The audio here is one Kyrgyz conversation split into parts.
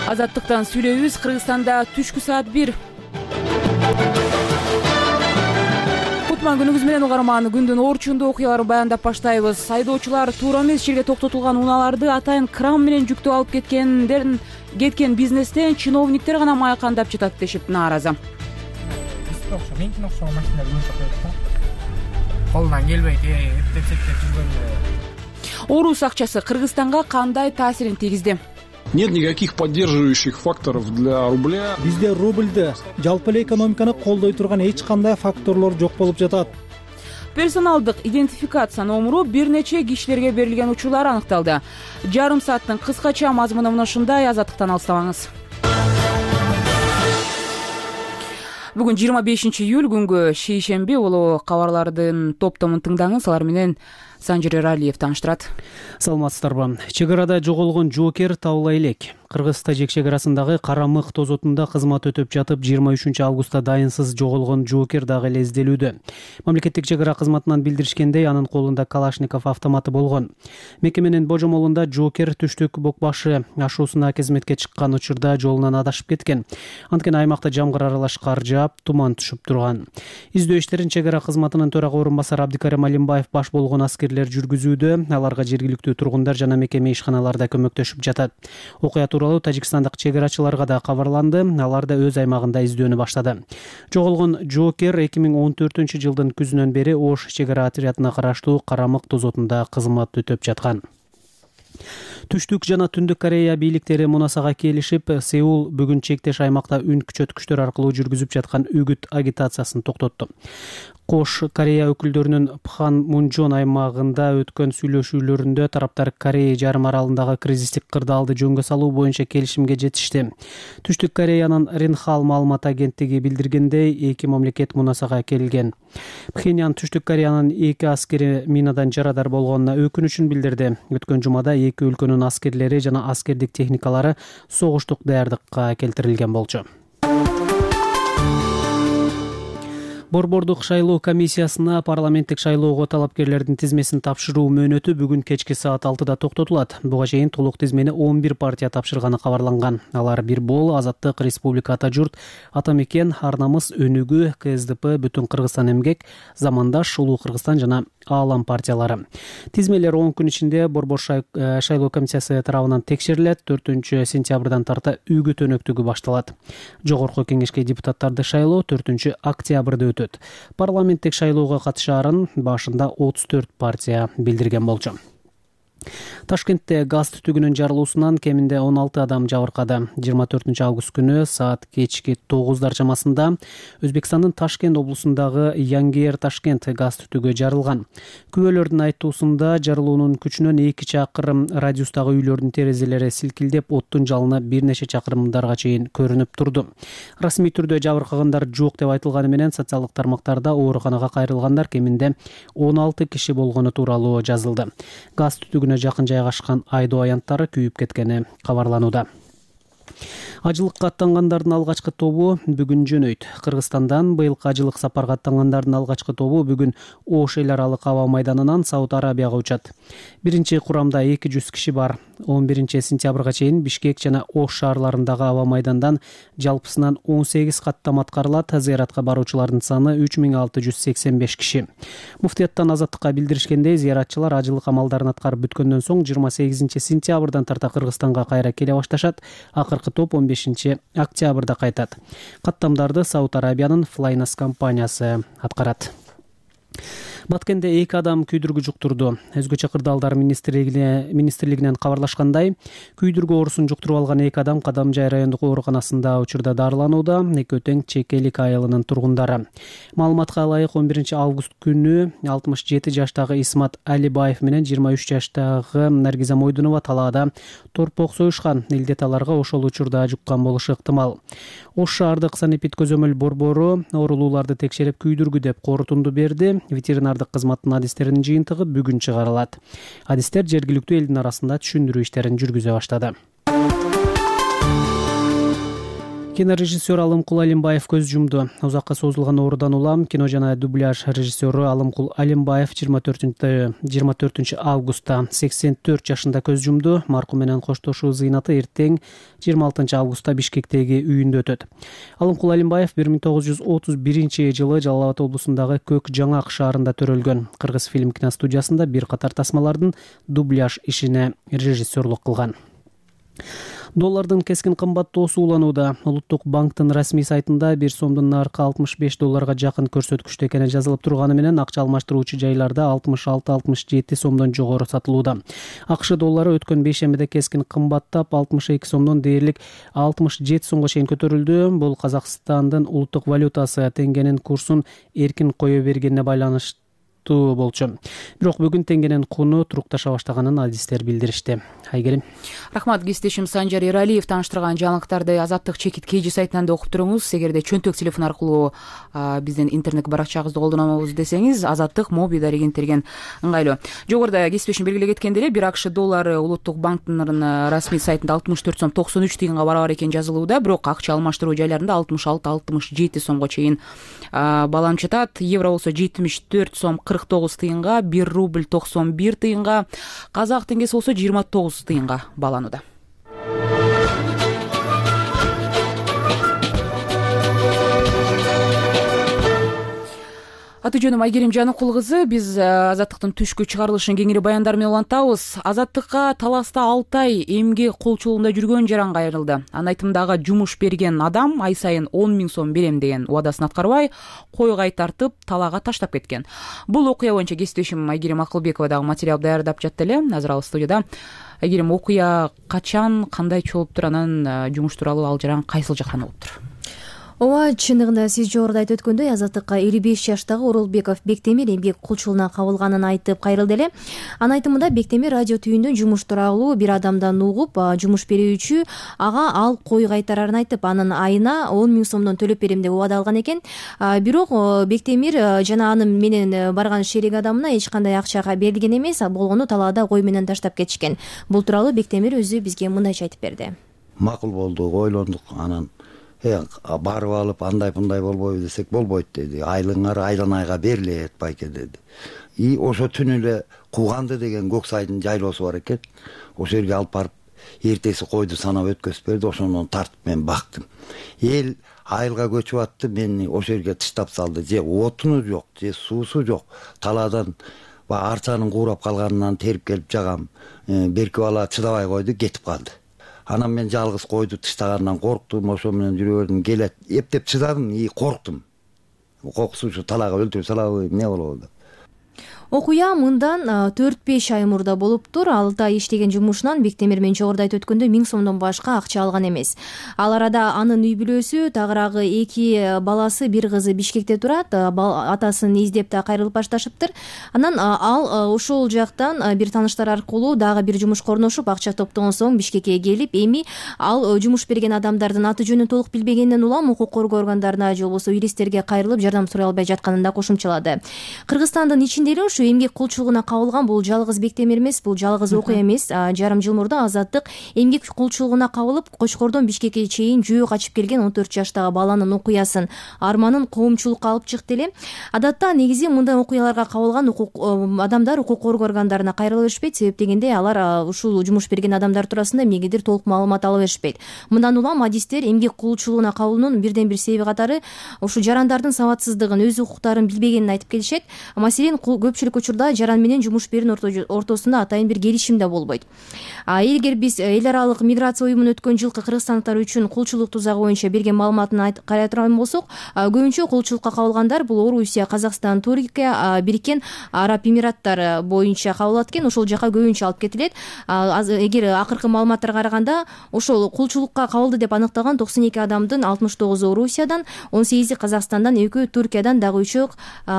Азаттыктан сүйлөйбүз. Кыргызстанда түшкү саат 1. Кутман күнүңүз менен угарман. Күндүн орчундуу окуяларын баяндап баштайбыз. Айдоочулар туура эмес жерге токтотулган унааларды атайын кран менен жүктөп алып кеткен бизнестен чиновниктер гана маякандап жатат дешип нааразы. Менькин окшогон машина көбүнчө коет да. Колунан келбейт, эптеп жүргөн. Орус акчасы Кыргызстанга кандай таасирин тийгизди? Нет никаких поддерживающих факторов для рубля. Бизде рубльды, жалпы эле экономиканы колдой турган эч кандай факторлор жок болуп жатат. Персоналдык идентификация номуру бир нече кишилерге берилген учурлар аныкталды. Жарым сааттын кыскача мазмуну мына ушундай. Азаттыктан алыстабаңыз. Бүгүн 25 июль күнгө шейшемби болуу. Кабарлардын топтомун тыңдаңыз. Алар менен Санжир Эралиев тааныштырат. Саламатсыздарбы. Чек арада жоголгон жоокер табыла элек. Кыргыз-Тажик чек арасындагы Карамык тозотунда кызмат өтөп жатып 23 августта дайынсыз жоголгон жоокер дагы эле изделүүдө. Мамлекеттик чек ара кызматынан билдиришкендей, анын колунда Калашников автоматы болгон. Мекеменин божомолунда жоокер түштүк Бокбашы ашуусуна кызметке чыккан учурда жолунан адашып кеткен. Анткени аймакта жамгыр аралаш кар жаап, туман түшүп турган. Издөө иштерин чек ара кызматынын төрага орун басары Абдикарим Алимбаев баш болгон аскерлер жүргүзүүдө. Аларга жергиликтүү тургундар жана мекеме ишканаларда көмөктөшүп жатат. Окуя тууралуу тажикстандык чек арачыларга да кабарланды. Алар да өз аймагында издөөнү баштады. Жоголгон жоокер 2014 жылдын күзүнөн бери Ош чек ара отрядына караштуу Карамык тозотунда кызмат өтөп жаткан. Түштүк жана Түндүк Корея бийликтери Мунасага келишип, Сеул бүгүн чектеш аймакта үн күчөткүчтөр аркылуу жүргүзүп жаткан үгүт агитациясын токтотту. Кош Корея өкүлдөрүнүн Пхан Мунжон аймагында өткөн сүйлөшүүлөрүндө тараптар Корея жарым аралындагы кризистик кырдаалды жөнгө салуу боюнча келишимге жетишти. Түштүк Кореянын Ринхал маалымат агенттиги билдиргендей, эки мамлекет Мунасага келген. Пхеньян Түштүк Кореянын эки аскери минадан жарадар болгонуна өкүнүчүн билдирди. Өткөн жумада эки өлкөнүн аскерлери жана аскердик техникалары согуштук даярдыкка келтирилген болчу. Борбордук шайлоо комиссиясына парламенттик шайлоого талапкерлердин тизмесин тапшыруу мөөнөтү бүгүн кечки саат 6-да токтотулат. Буга чейин толук тизмени 11 партия тапшырганы кабарланган. Алар Бир Бол, Азаттык, Республика Ата журт, Ата мекен, Ар намыс, Өнүгүү, КСДП, Бүтүн Кыргызстан эмгек, Замандаш, Улуу Кыргызстан жана Аалам партиялары. Тизмелер 10 күн ичинде Борбор шайлоо комиссиясы тарабынан текшерилет. 4-сентябрдан тарта үгүт өнөктүгү башталат. Жогорку кеңешке депутаттарды шайлоо 4-октябрда өтөт. Парламенттик шайлоого катышаарын башында 34 партия билдирген болчу. Ташкентте газ түтүгүнүн жарылуусунан кеминде 16 адам жабыркады. 24 август күнү саат кечки 9 чамасында Өзбекстандын Ташкент облусундагы Янгер Ташкент газ түтүгү жарылган. Күбөлөрдүн айтуусунда жарылуунун күчүнөн 2 чакырым радиустагы үйлөрдүн терезелери силкилдеп, оттун жалыны бир нече чакырымдарга чейин көрүнүп турду. Расмий түрдө жабыркагандар жок деп айтылганы менен социалдык тармактарда ооруканага кайрылгандар кеминде 16 киши болгону тууралуу жазылды. Газ түтүгүнө жакын жайгашкан айдоо аянттары күйүп кеткени кабарланууда. Ажылыкка аттангандардын алгачкы тобу бүгүн жөнөйт. Кыргызстандан быйылкы ажылык сапарга аттангандардын алгачкы тобу бүгүн Ош эл аралык аба майданынан Сауд Арабияга учат. Биринчи курамда 200 киши бар. 11-сентябрга чейин Бишкек жана Ош шаарларындагы аба майдандан жалпысынан 18 каттам аткарылат. Зыяратка баруучулардын саны 3685 киши. Муфтияттан Азаттыкка билдиришкендей, зыяратчылар ажылык амалдарын аткарып бүткөндөн соң 28-сентябрдан тарта Кыргызстанга кайра келе башташат. Акыркы топ 15-октябрда кайтат. Каттамдарды Сауд Арабиянын Flynas компаниясы аткарат. Баткенде 2 адам күйдүргү жуктурду. Өзгөчө кырдаалдар министрлигинен кабарлашкандай, күйдүргү оорусун жуктуруп алган 2 адам Кадамжай райондук ооруканасында учурда дарыланууда. Экөөтең Чекелик айылынын тургундары. Маалыматка ылайык 11 август күнү 67 жаштагы Исмат Алибаев менен 23 жаштагы Наргиза Мойдунова талаада торпок союшкан. Илдет аларга ошол учурда жуккан болушу ыктымал. Ош шаардык санэпид көзөмөл борбору оорулууларды текшерип күйдүргү деп корутунду берди. Ветеринардык кызматтын адистеринин жыйынтыгы бүгүн чыгарылат. Адистер жергиликтүү элдин арасында түшүндүрүү иштерин жүргүзө баштады. Кинорежиссер Алымкул Алимбаев көз жумду. Узакка созулган оорудан улам кино жана дубляж режиссеру Алымкул Алимбаев 24 августта 84 жашында көз жумду. Маркум менен коштошуу зыйнаты эртең 26 августта Бишкектеги үйүндө өтөт. Алымкул Алимбаев 1931 жылы Жалал Абад облусундагы Көк Жаңак шаарында төрөлгөн. Кыргыз фильм киностудиясында бир катар тасмалардын дубляж ишине режиссерлук кылган. Доллардын кескин кымбаттоосу уланууда. Улуттук банктын расмий сайтында 1 сомдун наркы $65 жакын көрсөткүчтө экени жазылып турганы менен акча алмаштыруучу жайларда 66-67 сомдон жогору сатылууда. АКШ доллары өткөн бейшембиде кескин кымбаттап 62 сомдон дээрлик 67 сомго чейин көтөрүлдү. Бул Казакстандын улуттук валютасы теңгенин курсун эркин кое бергенине байланыштуу болчу. Бирок бүгүн теңгенин куну турукташа баштаганын адистер билдиришти. Айгерим. Рахмат, кесиптешим Санжар Эралиев тааныштырган жаңылыктарды Азаттык чекит KG сайтынан да окуп туруңуз. Эгерде чөнтөк телефон аркылуу биздин интернет баракчабызды колдонобуз десеңиз, Азаттык моби дарегентерген ыңгайлуу. Жогоруда кесиптешим белгилеп кеткендей эле, 1 АКШ доллары улуттук банктын расмий сайтында 64 сом 93 тыйынга барабар экен жазылууда, бирок акча алмаштыруу жайларында 66-67 сомго чейин баланып жатат. Евро болсо 74 сом 49 тыйынга, 1 рубль 91 тыйынга, казак теңгеси болсо 29 тыйынга баланууда. Аты жөнүм Айгерим Жаныкул кызы. Биз Азаттыктын түшкү чыгарылышын кеңири баяндар менен улантабыз. Азаттыкка таласта 6 ай эмгек колчулугунда жүргөн жаран кайрылды. Анын айтымындагы жумуш берген адам ай сайын 10 000 сом берем деген убадасын аткарбай, кой кайтартып, талаага таштап кеткен. Бул окуя боюнча кесиптешим Айгерим Акылбекова дагы материал даярдап жатты эле. Азыр ал студияда. Айгерим, окуя качан, кандай чогулуптур, анан жумуш тууралуу ал жаран кайсыл жактан болуптур? Ооба, чындыгында сиз жогоруда айтып өткөндөй, Азаттыкка 55 жаштагы Оролбеков Бектемир эмгек кулчулугуна кабылганын айтып кайрылды эле. Анын айтымында Бектемир радио түйүндөн жумуш тууралуу бир адамдан угуп, жумуш берүүчү ага ал кой кайтарарын айтып, анын айына 10 000 сомдон төлөп берем деп убада алган экен. Бирок Бектемир жана анын менен барган шерик адамына эч кандай акча берилген эмес, болгону талаада кой менен таштап кетишкен. Бул тууралуу Бектемир өзү бизге мындайча айтып берди. Макул болду, ойлондук, анан барып алып андай-мындай болбойбу десек, болбойт деди. Айлыңар айдан айга берилет байке деди. Ошо түнү эле Кууганды деген көк сайдын жайлоосу бар экен. Ошо жерге алып барып эртеси койду санап өткөзүп берди. Ошондон тартып мен бактым. Эл айылга көчүп атты, мени ошо жерге тыштап салды. Же отуну жок, же суусу жок. Талаадан арчанын куурап калганынан терип келип жагам. Берки бала чыдабай койду, кетип калды. Анан мен жалгыз койду тыштагандан корктум, ошо менен жүрө бердим. Келет, эптеп чыдадым, корктум. Кокусучу талаага өлтүрүп салабы, эмне болобу деп. Окуя мындан 4-5 ай мурда болуптур. 6 ай иштеген жумушунан Бектемир мен жогоруда айтып өткөндөй 1000 сомдон башка акча алган эмес. Ал арада анын үй бүлөсү, тагыраагы 2 баласы, бир кызы Бишкекте турат. Атасын издеп да кайрылып башташыптыр. Анан ал ошол жактан бир тааныштар аркылуу дагы бир жумушка орношуп, акча топтогон соң Бишкекке келип, эми ал жумуш берген адамдардын аты жөнүн толук билбегенден улам укук коргоо органдарына же болбосо юристтерге кайрылып жардам сурай албай жатканын да кошумчалады. Кыргызстандын ичинде эле эмгек кулчулугуна кабылган бул жалгыз Бектемир эмес, бул жалгыз окуя эмес. Жарым жыл мурда Азаттык эмгек кулчулугуна кабылып, Кочкордон Бишкекке чейин жөө качып келген 14 жаштагы баланын окуясын, арманын коомчулукка алып чыкты эле. Адатта негизи мындай окуяларга кабылган адамдар укук коргоо органдарына кайрыла беришпейт, себеп дегенде алар ушул жумуш берген адамдар туурасында эмнегедир толук маалымат ала беришпейт. Мындан улам адистер эмгек кулчулугуна кабылуунун бирден бир себеби катары ушу жарандардын сабатсыздыгын, өз укуктарын билбегенин айтып келишет. Маселен, көпчүлүк учурда жаран менен жумуш берүүнүн ортосунда атайын бир келишим да болбойт. Эгер биз эл аралык миграция уюмунун өткөн жылкы кыргызстандыктар үчүн кулчулук тузагы боюнча берген маалыматын карай турган болсок, көбүнчө кулчулукка кабылгандар бул Орусия, Казакстан, Туркия, Бириккен Араб Эмираттары боюнча кабылат экен. Ошол жака көбүнчө алып кетилет. Эгер акыркы маалыматтарга караганда, ошол кулчулукка кабылды деп аныкталган 92 адамдын 69 Орусиядан, 18 Казакстандан, 2 Туркиядан, дагы 3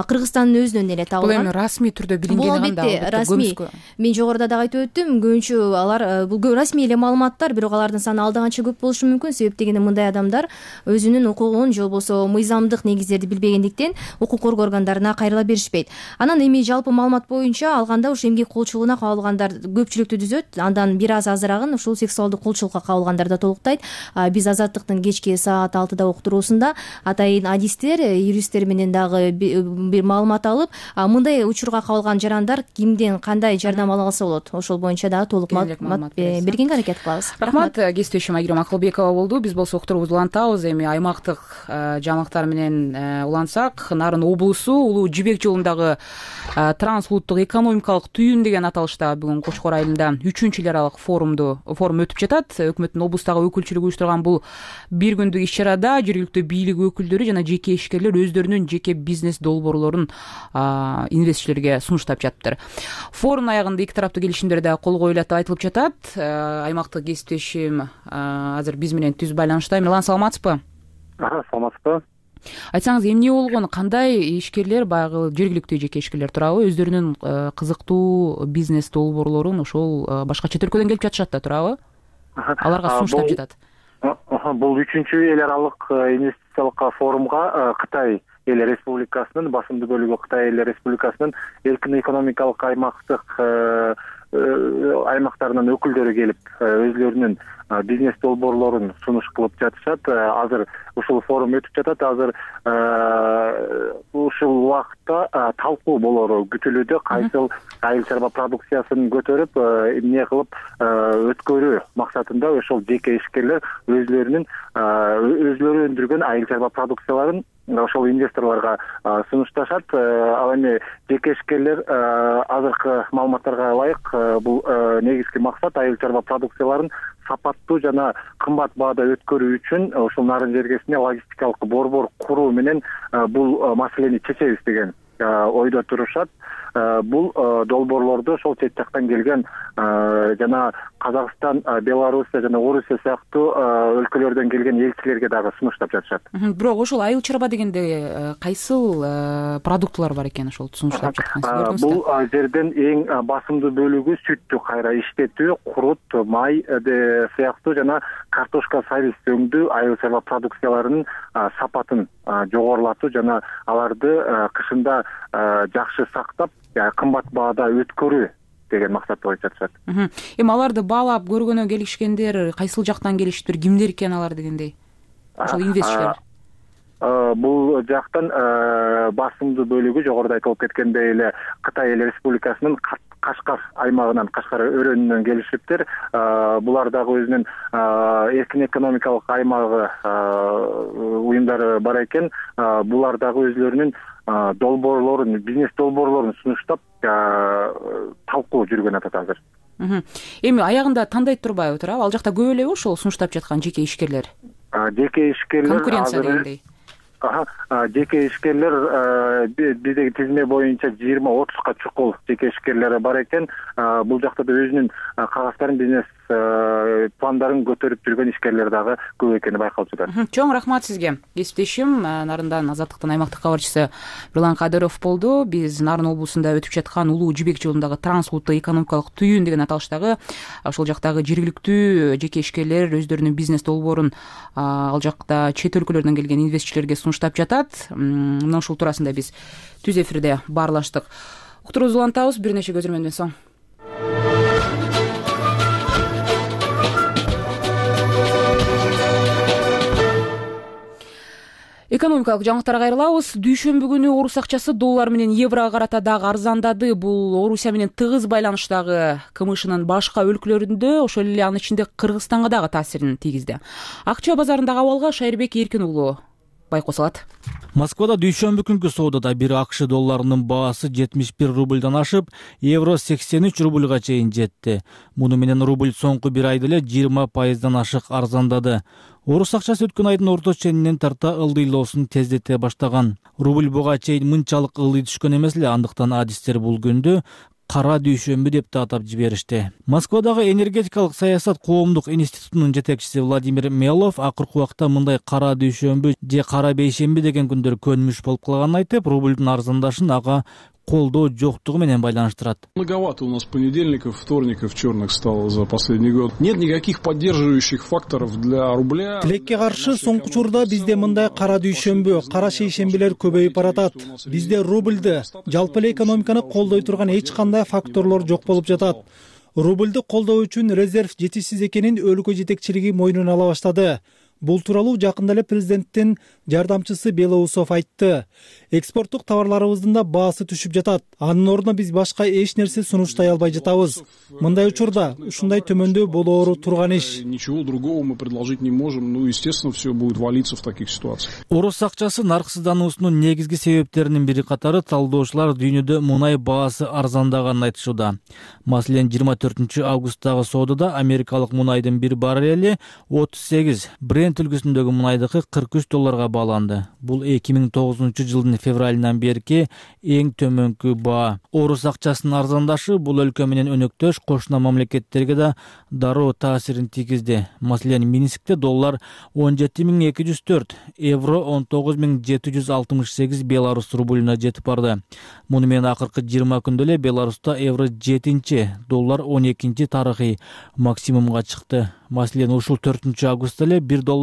Кыргызстандын өзүнөн эле табылган. расмий түрдө билингени бул албетте расмий. Мен жогоруда дагы айтып өттүм, көбүнчө алар бул расмий эле маалыматтар, бирок алардын саны алда канча көп болушу мүмкүн. Себеп дегенде мындай адамдар өзүнүн укугун же болбосо мыйзамдык негиздерди билбегендиктен укук коргоо органдарына кайрыла беришпейт. Анан эми жалпы маалымат боюнча алганда ушу эмгек колчулугуна кабылгандар көпчүлүктү түзөт. Андан бир аз азырагын ушул сексуалдык кулчулукка кабылгандар да толуктайт. Биз Азаттыктын кечки саат 6-да уктуруусунда атайын адистер, юристтер менен дагы бир маалымат алып, мындай учурга кабылган жарандар кимден кандай жардам ала алса болот, ошол боюнча дагы толук маалымат бергенге аракет кылабыз. Рахмат. Кесиптешим Айгерим Акылбекова болду. Биз болсо уктуруубузду улантабыз. Эми аймактык жаңылыктар менен улантсак, Нарын облусу Улуу Жибек жолундагы транс улуттук экономикалык түйүн деген аталышта бүгүн Кочкор айылында 3-эл аралык форум өтүп жатат. Өкмөттүн облустагы өкүлчүлүгү уюштурган бул бир күндүк иш чарада жергиликтүү бийлик өкүлдөрү жана жеке ишкерлер өздөрүнүн жеке бизнес долбоорлорун инвестчилерге сунуштап жатыптыр. Форумдун аягында эки тараптуу келишимдер да кол коюлат деп айтылып жатат. Аймактык кесиптешим азыр биз менен түз байланышта. Милан, саламатсызбы? Саламатсызбы. Айтсаңыз, эмне болгон, кандай ишкерлер, баягы жергиликтүү жеке ишкерлер туурабы, өздөрүнүн кызыктуу бизнес долбоорлорун ошол башка чет өлкөдөн келип жатышат да туурабы? Аларга сунуштап жатат. Бул 3-эл аралык инвестициялык форумга Кытай эл республикасынын басымдуу бөлүгү Кытай эл республикасынын эркин экономикалык аймактарынын өкүлдөрү келип өзлөрүнүн бизнес долбоорлорун сунуш кылып жатышат. Азыр ушул форум өтүп жатат. Азыр ушул убакытта талкуу болору күтүлүүдө. Кайсыл айыл чарба продукциясын көтөрүп, эмне кылып өткөрүү максатында ошол жеке ишкерлер өзлөрүнүн өзлөрү өндүргөн айыл чарба продукцияларын ошол инвесторлорго сунушташат. Ал эми жеке ишкерлер азыркы маалыматтарга ылайык бул негизги максат айыл чарба продукцияларын сапаттуу жана кымбат баада өткөрүү үчүн ушул Нарын жергесине логистикалык борбор куруу менен бул маселени чечебиз деген ойдо турушат. Бул долбоорлорду ошол чет жактан келген жана Казакстан, Белоруссия жана Орусия сыяктуу өлкөлөрдөн келген элчилерге дагы сунуштап жатышат. Бирок ошол айыл чарба дегенде кайсыл продуктулар бар экен ошол сунуштап жаткан? Бул жерден эң басымдуу бөлүгү сүттү кайра иштетүү, курут, май сыяктуу жана картошка, сабиз өңдүү айыл чарба продукцияларынын сапатын жогорулатуу жана аларды кышында жакшы сактап, кымбат баада өткөрүү деген максатты коюп жатышат. Эми аларды баалап көргөнө келишкендер кайсыл жактан келишиптир, кимдер экен алар дегендей? Ошол инвестчилер. Бул жактан басымдуу бөлүгү жогоруда айтылып кеткендей эле Кытай эл республикасынын Кашкар аймагынан, Кашкар өрөөнүнөн келишиптир. Булар дагы өзүнүн эркин экономикалык аймагы уюмдары бар экен. Булар дагы өзлөрүнүн долбоорлорун, бизнес долбоорлорун сунуштап талкуу жүргөн атат азыр. Эми аягында тандайт турбайбы туурабы? Ал жакта көп элеби ошол сунуштап жаткан жеке ишкерлер? Жеке ишкерлер конкуренция дегендей. Жеке ишкерлер биздеги тизме боюнча 20-30га чукул жеке ишкерлери бар экен. Бул жакта да өзүнүн кагаздарын, бизнес пландарын көтөрүп жүргөн ишкерлер дагы көп экени байкалып жатат. Чоң рахмат сизге. Кесиптешим Нарындан Азаттыктын аймактык кабарчысы Бирлан Кадыров болду. Биз Нарын облусунда өтүп жаткан Улуу Жибек жолундагы транс улуттук экономикалык түйүн деген аталыштагы ошол жактагы жергиликтүү жеке ишкерлер өздөрүнүн бизнес долбоорун ал жакта чет өлкөлөрдөн келген инвестчилерге сунуштап жатат. Мына ушул туурасында биз түз эфирде баарлаштык. Уктуруубузду улантабыз бир нече көзөрмөндөн соң. Экономикалык жаңылыктарга кайрылабыз. Дүйшөмбү күнү орус акчасы доллар менен еврого карата дагы арзандады. Бул Орусия менен тыгыз байланыштагы КМШнын башка өлкөлөрүндө, ошол эле анын ичинде Кыргызстанга дагы таасирин тийгизди. Акча базарындагы абалга Шайырбек Эркин уулу байкоо салат. Москвада дүйшөмбү күнкү соодада бир АКШ долларынын баасы 71 рубльдан ашып, евро 83 рубльга чейин жетти. Муну менен рубль соңку бир айда эле 20% ашык арзандады. Орус акчасы өткөн айдын орто ченинен тарта ылдыйлоосун тездете баштаган. Рубль буга чейин мынчалык ылдый түшкөн эмес эле, андыктан адистер бул күндү кара дүйшөмбү деп да атап жиберишти. Москвадагы энергетикалык саясат коомдук институтунун жетекчиси Владимир Мелов акыркы убакта мындай кара дүйшөмбү же кара бейшемби деген күндөр көнмүш болуп калганын айтып, рубльдун арзандашын ага колдоо жоктугу менен байланыштырат. Многовато у нас понедельников, вторников черных стало за последний год. Нет никаких поддерживающих факторов для рубля. Тилекке каршы соңку учурда бизде мындай кара дүйшөмбү, кара шейшембилер көбөйүп баратат. Бизде рубльды, жалпы эле экономиканы колдой турган эч кандай факторлор жок болуп жатат. Рубльды колдоо үчүн резерв жетишсиз экенин өлкө жетекчилиги мойнуна ала баштады. Бул тууралуу жакында эле президенттин жардамчысы Белоусов айтты. Экспорттук товарларыбыздын да баасы түшүп жатат. Анын ордуна биз башка эч нерсе сунуштай албай жатабыз. Мындай учурда ушундай төмөндөө болоору турган иш. Ничего другого мы предложить не можем. Ну, естественно, все будет валиться в таких ситуациях. Орус акчасы нарксыздануусунун негизги себептеринин бири катары талдоочулар дүйнөдө мунай баасы арзандаганын айтышууда. Маселен, 24 августтагы соодада америкалык мунайдын бир баррели 38, Брент үлгүсүндөгү мунайдыкы $43 бааланды. Бул 2009 жылдын февралынан берки эң төмөнкү баа. Орус акчасынын арзандашы бул өлкө менен өнөктөш кошуна мамлекеттерге да дароо таасирин тийгизди. Маселен, Минскте доллар 17.204, евро 19.768 беларус рублуна жетип барды. Муну менен акыркы 20 күндө эле Беларуста евро 7-чи, доллар 12-чи тарыхый максимумга чыкты. Маселен, ушул 4 августта эле $1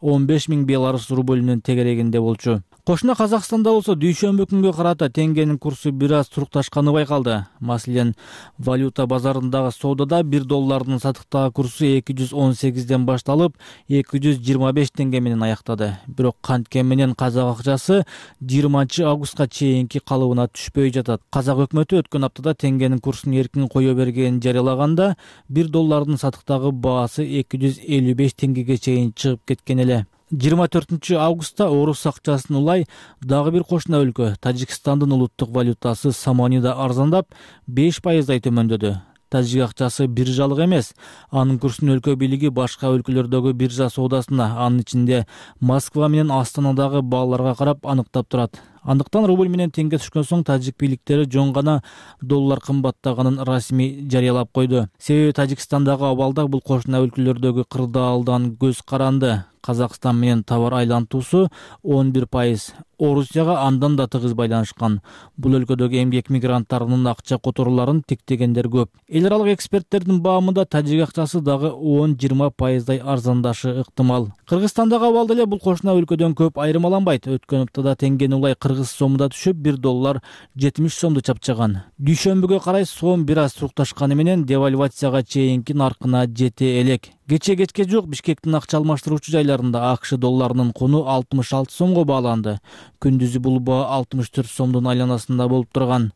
15.000 беларус рублунун тегерегинде болчу. Кошуна Казакстанда болсо дүйшөмбү күнгө карата теңгенин курсу бир аз турукташканы байкалды. Маселен, валюта базарындагы соодада $1 сатыктагы курсу 218ден башталып 225 теңге менен аяктады. Бирок кантке менен казак акчасы 20 августка чейинки калыбына түшпөй жатат. Казак өкмөтү өткөн аптада теңгенин курсун эркин кое бергенин жарыялаганда $1 сатыктагы баасы 255 теңгеге чейин чыгып кеткен эле. 24 августта орус акчасын улай дагы бир кошуна өлкө Тажикстандын улуттук валютасы самани да арзандап 5%дай төмөндөдү. Тажик акчасы биржалык эмес. Анын курсун өлкө бийлиги башка өлкөлөрдөгү биржа соодасына, анын ичинде Москва менен Астанадагы бааларга карап аныктап турат. Андыктан рубль менен теңге түшкөн соң тажик бийликтери жөн гана доллар кымбаттаганын расмий жарыялап койду. Себеби Тажикстандагы абалда бул кошуна өлкөлөрдөгү кырдаалдан көз каранды. Казакстан менен товар айлантуусу 11%. Орусияга андан да тыгыз байланышкан. Бул өлкөдөгү эмгек мигранттарынын акча которууларын тиктегендер көп. Эл аралык эксперттердин баамында тажик акчасы дагы 10-20%дай арзандашы ыктымал. Кыргызстандагы абалда эле бул кошуна өлкөдөн көп айырмаланбайт. Өткөн аптада теңгени улай кыргыз сомунда түшүп $1 70 сомду чапчаган. Дүйшөмбүгө карай сом бир аз турукташканы менен девальвацияга чейинки наркына жете элек. Кечке жок Бишкектин акча алмаштыруучу жайларында АКШ долларынын куну 66 сомго бааланды. Күндүзү бул баа 64 сомдун айланасында болуп турган.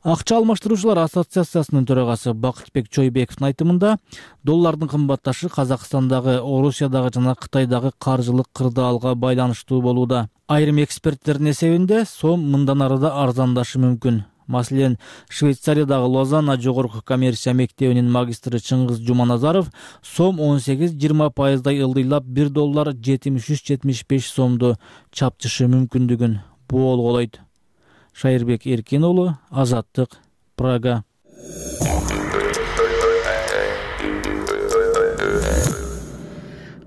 Акча алмаштыруучулар ассоциациясынын төрагасы Бакытбек Чойбековдун айтымында, доллардын кымбатташы Казакстандагы, Орусиядагы жана Кытайдагы каржылык кырдаалга байланыштуу болууда. Айрым эксперттердин эсебинде сом мындан ары да арзандашы мүмкүн. Маселен, Швейцариядагы Лозанна жогорку коммерция мектебинин магистры Чыңгыз Жуманазаров сом 18-20%дай ылдыйлап $1 73-75 сомду чапчышы мүмкүндүгүн болголойт. Шайырбек Эркин уулу, Азаттык, Прага.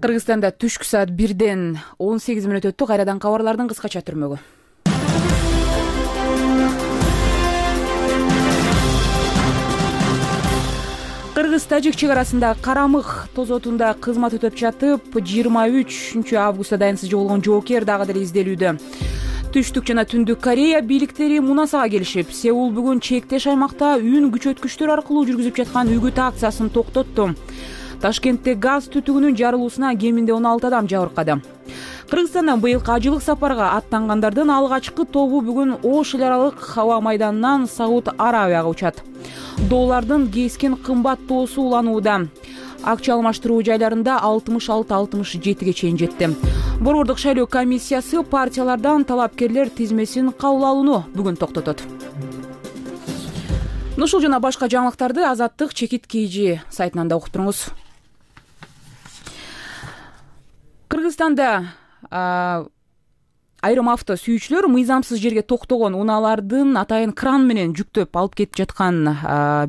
Кыргызстанда түшкү саат 1ден 18 мүнөт өттү. Кайрадан кабарлардын кыскача түрмөгү. Кыргыз-Тажик чек арасында Карамык тозотунда кызмат өтөп жатып, 23 августта дайынсыз жоголгон жоокер дагы деле изделүүдө. Түштүк жана Түндүк Корея бийликтери мунасага келишип, Сеул бүгүн чектеш аймакта үн күчөткүчтөр аркылуу жүргүзүп жаткан үгүт акциясын токтотту. Ташкентте газ түтүгүнүн жарылуусуна кеминде 16 адам жабыркады. Кыргызстандан быйылкы ажылык сапарга аттангандардын алгачкы тобу бүгүн Ош эл аралык аба майданынан Сауд Арабияга учат. Доллардын кескен кымбаттоосу уланууда. Акча алмаштыруу жайларында 66-67ге чейин жетти. Борбордук шайлоо комиссиясы партиялардан талапкерлер тизмесин кабыл алууну бүгүн токтотот. Ушул жана башка жаңылыктарды Азаттык Чекит KG сайтынан да окуп туруңуз. Кыргызстанда Айрым авто сүйүүчүлөр мыйзамсыз жерге токтогон унаалардын атайын кран менен жүктөп алып кетип жаткан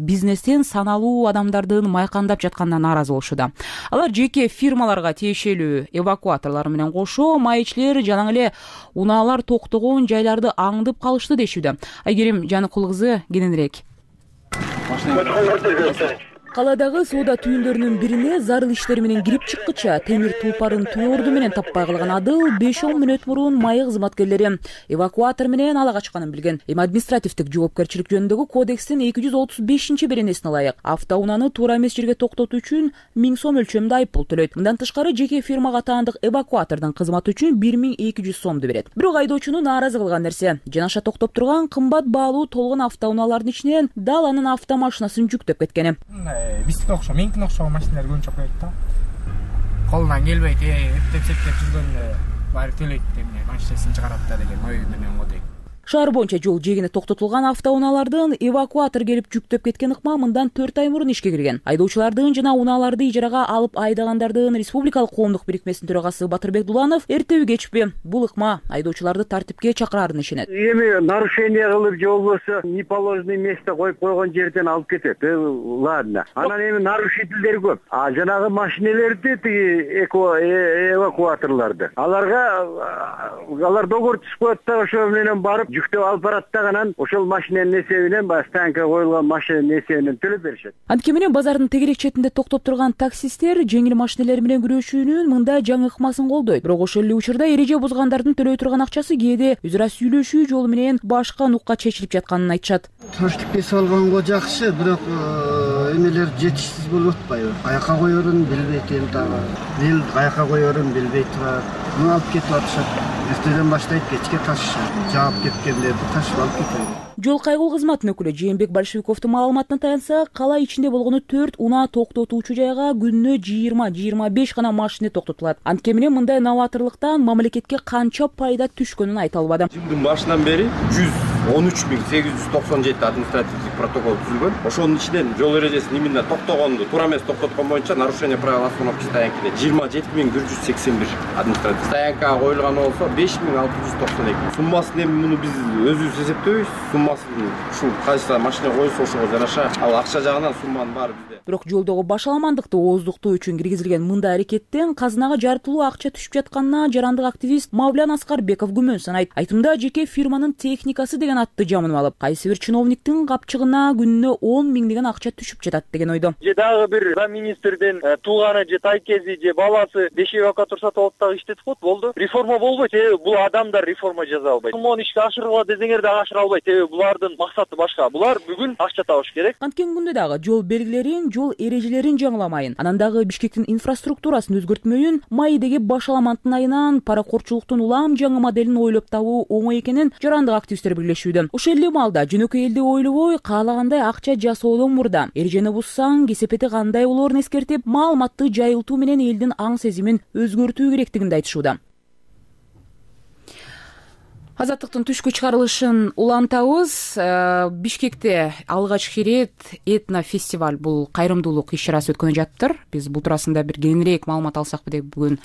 бизнестен саналуу адамдардын майкандап жатканына нааразы болушууда. Алар жеке фирмаларга тиешелүү эвакуаторлор менен кошо майчилер жана эле унаалар токтогон жайларды аңдып калышты дешүүдө. Айгерим Жаныкул кызы кененирээк. Каладагы соода түйүндөрүнүн бирине зарыл иштери менен кирип чыккыча темир тулпарын түгөрдү менен таппай калган Адыл 5-10 мүнөт мурун майы кызматкерлери эвакуатор менен ала качканын билген. Эми административдик жоопкерчилик жөнүндөгү кодекстин 235-беренесине ылайык автоунааны туура эмес жерге токтотуу үчүн 1000 сом өлчөмүндө айыппул төлөйт. Мындан тышкары жеке фирмага таандык эвакуатордун кызматы үчүн 1200 сомду берет. Бирок айдоочуну нааразы кылган нерсе жанаша токтоп турган кымбат баалуу толгон автоунаалардын ичинен дал анын автомашинасын жүктөп кеткени. Биздики окшош, меникине окшогон машиналар көбүнчө коет да. Колунан келбейт, эптеп жүргөндө баары төлөйт деп машинасин чыгарат да деген ой менен го дейт. Шаар боюнча жол жээгине токтотулган автоунаалардын эвакуатор келип жүктөп кеткен ыкма мындан 4 ай мурун ишке кирген. Айдоочулардын жана унааларды ижарага алып айдагандардын Республикалык коомдук бирикмесинин төрагасы Батырбек Дуланов эртеби кечпи бул ыкма айдоочуларды тартипке чакырарын ишенет. Эми нарушение кылып же болбосо неположенный место коюп койгон жерден алып кетет. Ладно. Анан эми нарушительдер көп. Жанагы машинелерди тиги эвакуаторларды алар договор түзүп коет да ошо менен барып жүктөп алып барат да анан ошол машинанын эсебинен баягы станка коюлган машинанын эсебинен төлөп беришет. Антке менен базардын тегерек четинде токтоп турган таксисттер жеңил машинелер менен күрөшүүнүн мындай жаңы ыкмасын колдойт. Бирок ошол эле учурда эреже бузгандардын төлөй турган акчасы кээде өз ара сүйлөшүү жолу менен башка нукка чечилип жатканын айтышат. Тартип кесип алганго жакшы, бирок эмелер жетишсиз болуп атпайбы? Каяка коерун билбейт эми дагы. Эл каяка коерун билбей турат. Муну алып кетип атышат. Эртеден баштайт кечке ташышат. Жаап кеткендерди ташып алып кетет. Жол кайгыл кызматынын өкүлү Жээнбек Большевиковдун маалыматына таянсак, кала ичинде болгону 4 унаа токтотуучу жайга күнүнө 20-25 гана машина токтотулат. Антке менен мындай новаторлуктан мамлекетке канча пайда түшкөнүн айта албады. Жылдын башынан бери 113.897 административдик протокол түзүлгөн. Ошонун ичинен жол эрежесин именно токтогонду, туура эмес токтоткон боюнча нарушение правил остановки стоянкине 27.181 административдик стоянкага коюлган болсо 5.692. Суммасын эми муну биз өзүбүз эсептөйбүз. Ушул кайсы машина коюлса ошого жараша ал акча жагынан сумманын баары бизде. Бирок жолдогу башаламандыкты ооздуктоо үчүн киргизилген мындай аракеттен казынага жартылуу акча түшүп жатканына жарандык активист Мавлян Аскарбеков күмөн санайт. Айтымда жеке фирманын техникасы деген атты жамынып алып, кайсы бир чиновниктин капчыгына күнүнө 10 миңдеген акча түшүп жатат деген ойдо. Же дагы бир министрдин тууганы же тайкези же баласы 5 эвакуатор сатып алып дагы иштетип коет, болду. Реформа болбойт. Бул адамдар реформа жаза албайт. Сумманы ишке ашыргыла десеңер да ашыра албайт. Булардын максаты башка. Булар бүгүн акча табыш керек. Анткен күндө дагы жол белгилерин, жол эрежелерин жаңыламайын, анан дагы Бишкектин инфраструктурасын өзгөртмөйүн, майдеги башаламандын айынан паракорчулуктун улам жаңы моделин ойлоп табуу оңой экенин жарандык активисттер бирлешүүдө. Ошол эле маалда жөнөкөй элди ойлобой, каалагандай акча жасоодон мурда эрежени бузсаң кесепети кандай болоорун эскертип, маалыматты жайылтуу менен элдин аң сезимин өзгөртүү керектигинди айтышууда. Азаттыктын түшкү чыгарылышын улантабыз. Бишкекте алгачкы ирет этнофестиваль, бул кайрымдуулук иш-чарасы өткөнү жатыптыр. Биз бул туурасында бир кеңирээк маалымат алсакпы деп бүгүн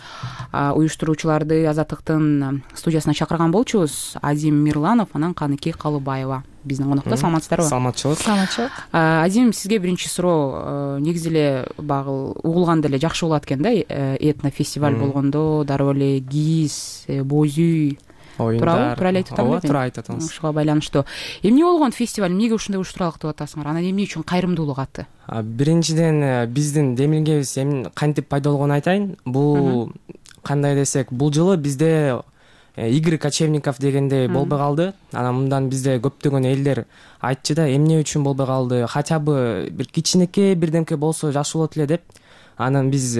уюштуруучуларды Азаттыктын студиясына чакырган болчубуз. Азим Мирланов, анан Каныке Калыбаева биздин конокто. Саламатсыздарбы? Саламатчылык. Азим, сизге биринчи суроо. Негизи эле багы угулганда эле жакшы болот экен да, этнофестиваль болгондо дароо эле кийиз, боз үй туурабы? Туура эле айтып атам белем. Туура айтып атасыз. Ушуга байланыштуу. Эмне болгон фестиваль, эмнеге ушундай уюштуралык деп атасыңар? Анан эмне үчүн кайрымдуулук аты? Биринчиден биздин демилгебиз кантип пайда болгонун айтайын. Бул кандай десек, бул жылы бизде Игорь Кочевников дегендей болбой калды. Анан мындан бизде көптөгөн элдер айтчу да, эмне үчүн болбой калды? Хотя бы бир кичинекей бирдемке болсо жакшы болот эле деп. Анан биз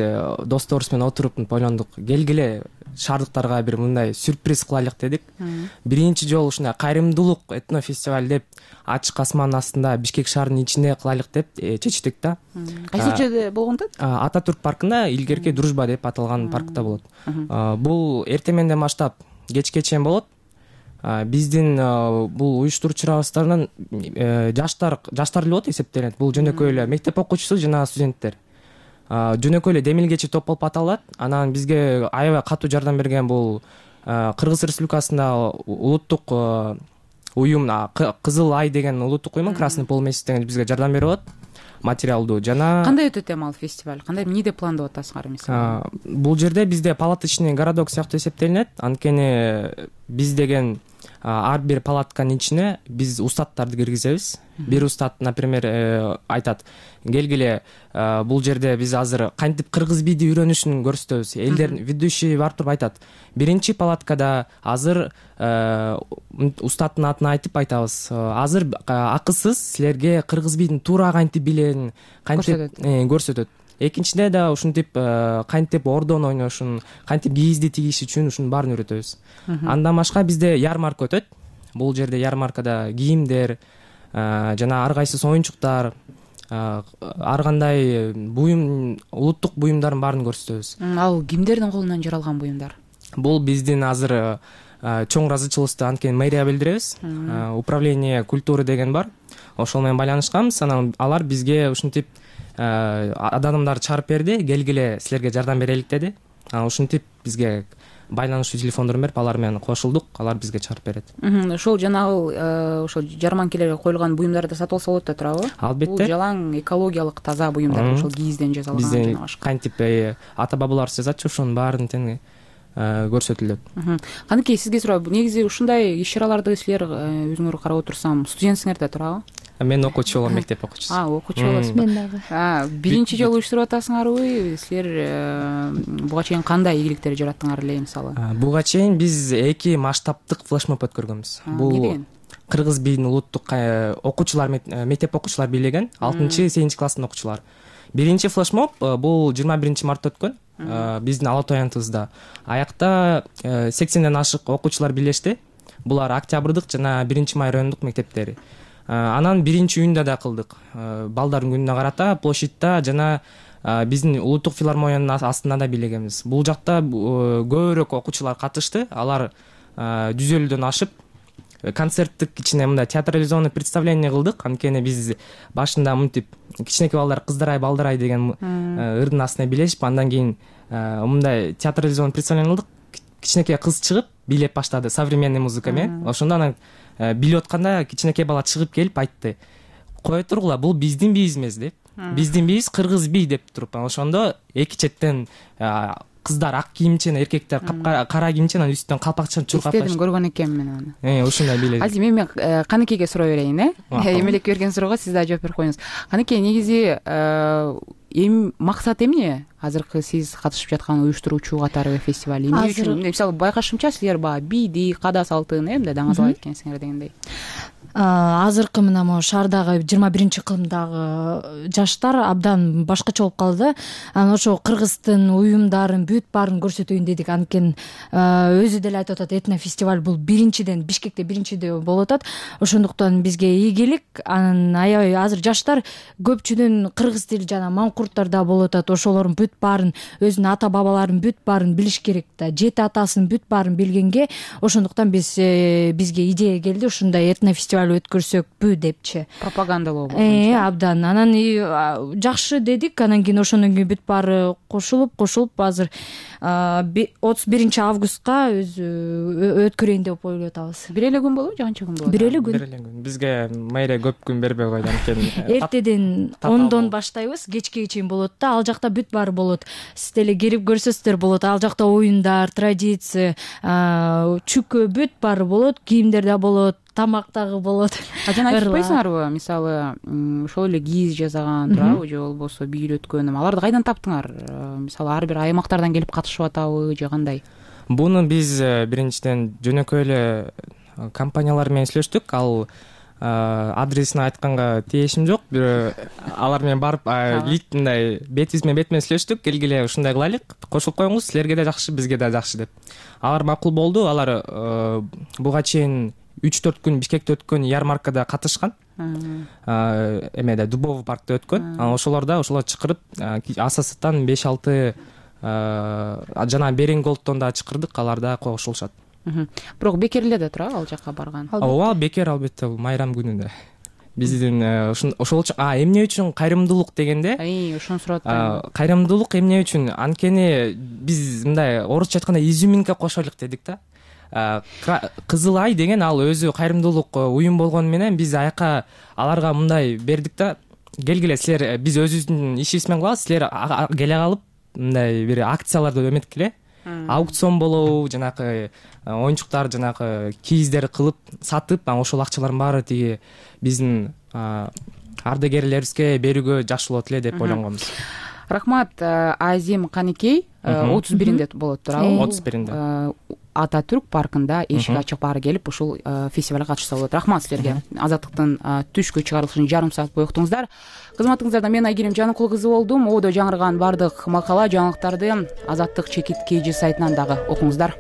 досторубуз менен отуруп ойлондук, келгиле шаардыктарга бир мындай сюрприз кылайлык дедик. Биринчи жолу ушундай кайрымдуулук этнофестиваль деп ачык асмандын астында Бишкек шаарынын ичинде кылайлык деп чечтик да. Кайсы жерде болгондо? Ататүрк паркында, илгерки Дружба деп аталган паркта болот. Бул эртең менден баштап кечке чейин болот. Биздин бул уюштуруучуларыбыздын жаштар эле болот эсептелет. Бул жөнөкөй эле мектеп окуучусу жана студенттер. Жөнөкөй эле демилгечи топ болуп аталат. Анан бизге аябай катуу жардам берген бул Кыргыз Республикасында улуттук уюм Кызыл Ай деген улуттук уюм, Красный полумесяц деген бизге жардам берип атат материалдуу. Жана кандай өтөт эми ал фестиваль? Кандай эмнеде пландап атасыңар мисалы? Бул жерде бизде палаточный городок сыяктуу эсептелинет. Анткени биз деген ар бир палатканын ичине биз устаттарды киргизебиз. Бир устат, например, айтат: келгиле, бул жерде биз азыр кантип кыргыз бийди үйрөнүшүн көрсөтөбүз. Элдер ведущий барып туруп айтат: биринчи палаткада азыр устаттын атын айтып айтабыз. Азыр акысыз силерге кыргыз бийдин туура кантип билерин көрсөтөт. Экинчиде да ушинтип кантип ордон ойношун, кантип кийизди тигиш үчүн ушунун баарын үйрөтөбүз. Андан башка бизде ярмарка өтөт. Бул жерде ярмаркада кийимдер жана ар кайсы оюнчуктар, ар кандай буюм, улуттук буюмдардын баарын көрсөтөбүз. Ал кимдердин колунан жаралган буюмдар? Бул биздин азыр чоң ыраазычылыкту анткени мэрия билдиребиз. Управление культуры деген бар. Ошол менен байланышканбыз. Анан алар бизге ушинтип адамдарды чыгарып берди, келгиле силерге жардам берелик деди. Ушинтип бизге байланышчу телефондорун берип, алар менен кошулдук, алар бизге чыгарып берет. Ошол жанагы ошол жарманкелерге коюлган буюмдарды сатып алса болот да туурабы? Албетте. Бул жалаң экологиялык таза буюмдар, ошол кийизден жасалган жана башка. Кантип ата бабалар жасатчу, ошонун баарын тең көрсөтүлөт. Каныкей, сизге сурайм, негизи ушундай иш-чараларды силер өзүңөр карап отурсам, студентсиңер да туурабы? Мен окуучу болом, мектеп окуучусу. Окуучу болосуз. Мен дагы. Биринчи жолу уюштуруп атасыңарбы? Силер буга чейин кандай ийгиликтер жараттыңар эле мисалы? Буга чейин биз 2 масштабтык флешмоб өткөргөнбүз. Бул кыргыз бийдин улуттук окуучулар, мектеп окуучулар бийлеген 6-7 класстын окуучулары. Биринчи флешмоб бул 21 мартта өткөн. Биздин Ала Той аянтыбызда. Аякта 80ден ашык окуучулар бийлешти. Булар Октябрдык жана 1-май райондук мектептери. Анан 1-июнда да кылдык. Балдардын күнүнө карата площадьта жана биздин улуттук филармониянын астында да бийлегенбиз. Бул жакта көбүрөөк окуучулар катышты. Алар 150дөн ашып концерттик ичине мындай театрализованный представление кылдык. Анткени биз башында мынтип кичинекей балдар кыздарай, балдарай деген ырдын астына бийлешип, андан кийин мындай театрализованный представление кылдык. Кичинекей кыз чыгып бийлеп баштады современный музыка менен. Ошондо анан билип атканда кичинекей бала чыгып келип айтты: "Кое тургула, бул биздин бийибиз эмес" деп. Биздин бийибиз кыргыз бий деп туруп. Ошондо эки четтен кыздар ак кийимчен, эркектер кара кийимчен, анан үстүнөн калпакчаны чуркап кайтты. Көргөн экенмин аны. Ушундай бийледи. Азим, эми Каныкейге сурай берейин, Эмелек берген суроого сиз да жооп берип коюңуз. Каныкей, негизи эми максат эмне? Азыркы сиз катышып жаткан уюштуруучу катары фестиваль эмне үчүн? Мисалы байкашымча силер баягы бийди, када салтын мындай даңазалап эткенсиңер дегендей. Азыркы мына могу шаардагы 21-кылымдагы жаштар абдан башкача болуп калды. Анан ошо кыргыздын уюмдарын бүт баарын көрсөтөйүн дедик. Анткени өзү деле айтып атат, этнофестиваль бул биринчиден Бишкекте биринчиде болуп атат. Ошондуктан бизге ийгилик. Анан аябай азыр жаштар көпчүдөн кыргыз тили жана маңкурттар да болуп атат. Ошолордун бүт баарын, өзүнүн ата бабаларын бүт баарын билиш керек да. Жети атасын бүт баарын билгенге, ошондуктан бизге идея келди, ушундай этнофестиваль өткөрсөкпү депчи. Пропагандалоо болду. Абдан. Анан жакшы дедик. Анан кийин ошондон кийин бүт баары кошулуп азыр 31 августка өткөрөйүн деп ойлоп атабыз. Бир эле күн болобу же канча күн болот? Бир эле күн. Бизге мэрия көп күн бербей койду, анткени эртеден 10дон баштайбыз, кечке чейин болот да. Ал жакта бүт баары болот. Сиз деле келип көрсөздөр болот. Ал жакта оюндар, традиция, чүкө бүт баары болот, кийимдер да болот, тамак дагы болот. Жана айтпайсыңарбы, мисалы, ошол эле кийиз жасаган, туурабы, же болбосо бийлөткөн, аларды кайдан таптыңар? Мисалы, ар бир аймактардан келип катышып атабы же кандай? Буну биз биринчиден жөнөкөй эле компаниялар менен сүйлөштүк. Ал адресин айтканга тиешим жок. Алар менен барып мындай бетибиз менен сүйлөштүк. Келгиле ушундай кылайлык, кошулуп коюңуз, силерге да жакшы, бизге да жакшы деп. Алар макул болду. Алар буга чейин 3-4 күн Бишкекте өткөн ярмаркада катышкан. Эмеде Дубовый паркта өткөн. Ошолор чакырып, АССтан 5-6 жана Берен Голдтон да чакырдык, алар да кошулушат. Бирок бекер эле да туурабы ал жака барган? Ооба, бекер, албетте, бул майрам күнүндө. биздин ошол үчүн эмне үчүн кайрымдуулук дегенде ошону сурап атпаймынбы? Кайрымдуулук эмне үчүн? Анткени биз мындай орусча айтканда изюминка кошолук дедик да. Кызыл Ай деген ал өзү кайрымдуулук уюм болгону менен биз аяка аларга мындай бердик да, келгиле силер, биз өзүбүздүн ишибиз менен кылабыз, силер келе калып мындай бир акцияларды эметкиле, аукцион болобу, жанагы оюнчуктар, жанагы кийиздер кылып сатып, ошол акчалардын баары тиги биздин ардагерлерибизге берүүгө жакшы болот эле деп ойлонгонбуз. Рахмат. Азим Каникей 31-инде болот туурабы? 31-инде. Ататүрк паркында эшик ачык баары келип ушул фестивалга катышса болот. Рахмат силерге. Азаттыктын түшкү чыгарылышын жарым саат бою уктуңуздар. Кызматыңыздарда мен Айгерим Жаныкул кызы болдум. Ободо жаңырган бардык макала, жаңылыктарды Азаттык чекит KG сайтынан дагы окуңуздар.